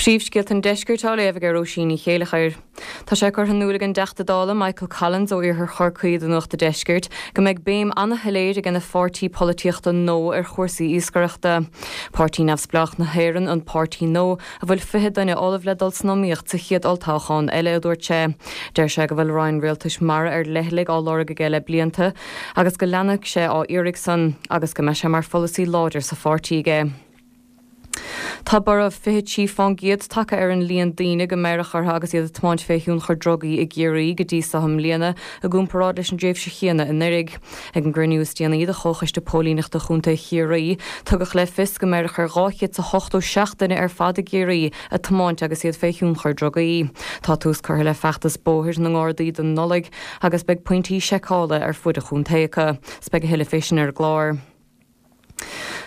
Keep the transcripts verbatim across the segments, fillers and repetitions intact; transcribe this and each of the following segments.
Príomhscéalta an Deiscirt á léamh ag Róisín Ní Chéilleachair. Tá sé curtha in iúl ag an dTeachta Dála Michael Collins ó Iarthar Chorcaí do Nuacht an Deiscirt go mbeidh béim an-shoiléir ag a pháirtí polaitíochta No ar chúrsaí iascaireachta. Páirtí Neamhspleách na hÉireann an páirtí No a bhfuil fiche duine ullamh le dul san iomaíocht sa chéad olltoghchán eile a dúirt sé. Deir sé go bhfuil roinn rialtais mara ar leithligh á lorg aige le blianta agus go leanfaidh sé á iarraidh san agus go mbeidh sé mar pholasaí láidir sa pháirtí aige. Tá borradh fiche trí faoin gcéad tagtha ar an líon daoine go mbeireadh orthu agus iad ag tiomáint fé thionchar drugaí i gCiarraí go dtí seo i mbliana i gcomparáid leis an dtréimhse chéanna anuraidh. Ag an gcruinniú is déanaí de Chomhchoiste Póilíneachta Chontae Chiarraí, tugadh le fios go mbeireadh ar dhá chéad is a hochtó seacht duine ar fad i gCiarraí ag tiomáint agus iad fé thionchar drugaí. Tá tús curtha le feachtas bóthair na nGardaí don Nollaig agus beidh pointí seiceála ar fud an chontae acu. 'S beidh a thuilleadh fé sin ar an gclár.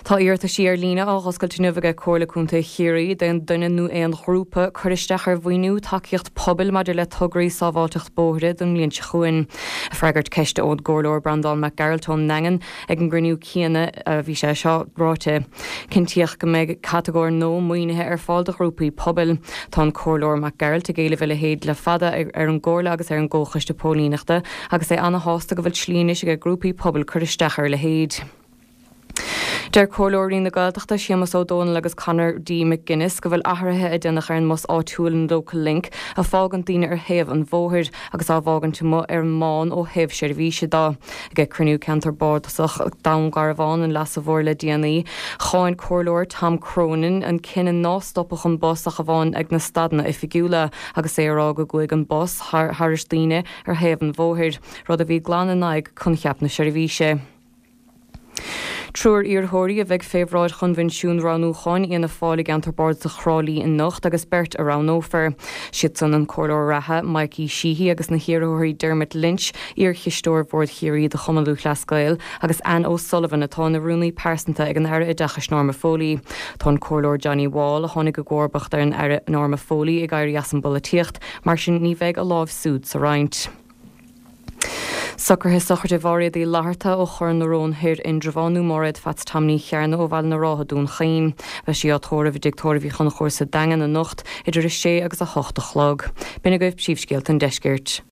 Tá iarrataisí ar líne á dh'oscailt inniu ag Comhairle Contae Chiarraí d'aon duine nó aon ghrúpa cur isteach ar mhaoiniú tacaíocht pobail maidir le tograí sábháilteacht bóithre don mbliain seo chugainn. Ag freagairt ceiste ón gComhairleoir Breandán Mac Gearailt ón nDaingean ag an gcruinniú céanna a bhí sé seo ráite. Cinntíodh go mbeidh catagóir nua maoinithe ar fáil do ghrúpaí pobail. Tá an Comhairleoir Mac Gearailt ag éileamh a leithéid le fada ar an gComhairle agus ar an gComhchoiste Póilíneachta agus é ana-shásta go bhfuil slí anois ag grúpaí pobail cur isteach ar a leithéid. Deir Comhairleoirí na Gaeltachta Séamus Ó Dónaill agus Conor D. McGuinness go bhfuil athruithe a déanamh ar an mbus áitiúil an Local Link a fágann daoine ar thaobh an bhóthair agus á bhfágaint amuigh ar an mbán ó thaobh seirbhíse de. Ag cruinniú ceantar bardasach Dhún Garbhán an Leasa Mhóir le déanaí, cháin Comhairleoir Tom Cronin an cinneadh ná stopfadh an bus ach amháin ag na stadanna oifigiúla agus é a rá go gcuaigh an bus thar thairis daoine ar thaobh an bhóthair, rud a bhí glan in aghaidh coincheap na seirbhíse. Triúr iarrthóirí a bheidh fé bhráid Choinbhinsiún Roghnúcháin Fhianna Fáil i gceantar bardasach Thrá Lí anocht agus beirt a roghnófar. Siad san an Comhairleoir reatha Mikey Sheehy agus na hiarrthóirí Dermot Lynch, iarchisteoir Bhord Chiarraí do Chumann Lúthchleas Gael, agus Anne O'Sullivan atá ina rúnaí pearsanta ag an Aire Oideachais Norma Foley. Tá an Comhairleoir Johnny Wall a tháinig i gcomharbacht ar an Aire Norma Foley ag éirí as an bpolaitíocht, mar sin ní bheidh a lámh súd sa roinnt. Socruithe sochraide Mháiréad Uí Fhlatharta ó Chor na Rón Thoir Indreabhán nó Máiréad Pheaits Tom Ní Chearna ó Bhaile na Rátha Dún Chaoin. Beidh sí á tórramh i dTigh Tórraimh Uí Chonchúir sa Daingean anocht idir a sé agus a hocht a chlog. B'in agaibh príomhscéalta an deiscirt.